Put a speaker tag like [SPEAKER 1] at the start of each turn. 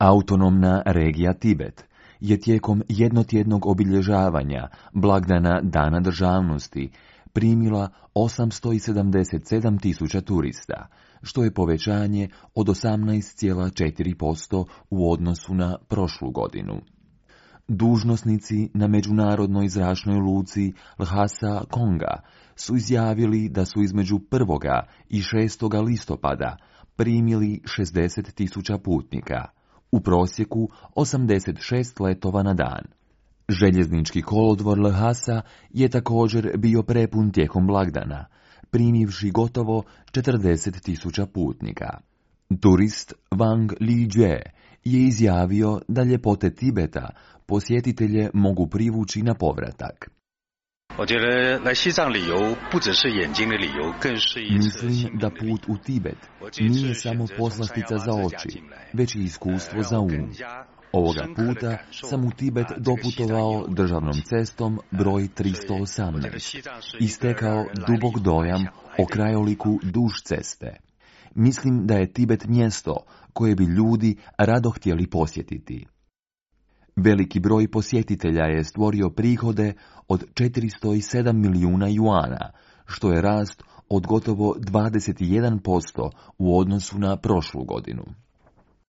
[SPEAKER 1] Autonomna regija Tibet je tijekom jednotjednog obilježavanja blagdana Dana državnosti primila 877.000 turista, što je povećanje od 18,4% u odnosu na prošlu godinu. Dužnosnici na međunarodnoj zračnoj luci Lhasa Konga su izjavili da su između 1. i 6. listopada primili 60.000 putnika, u prosjeku 86 letova na dan. Željeznički kolodvor Lhasa je također bio prepun tijekom blagdana, primivši gotovo 40.000 putnika. Turist Wang Lijue je izjavio da ljepote Tibeta posjetitelje mogu privući na povratak. Mislim da put u Tibet nije samo poslastica za oči, već i iskustvo za um. Ovoga puta sam u Tibet doputovao državnom cestom broj 318 i stekao dubok dojam o krajoliku duž ceste. Mislim da je Tibet mjesto koje bi ljudi rado htjeli posjetiti. Veliki broj posjetitelja je stvorio prihode od 407 milijuna juana, što je rast od gotovo 21% u odnosu na prošlu godinu.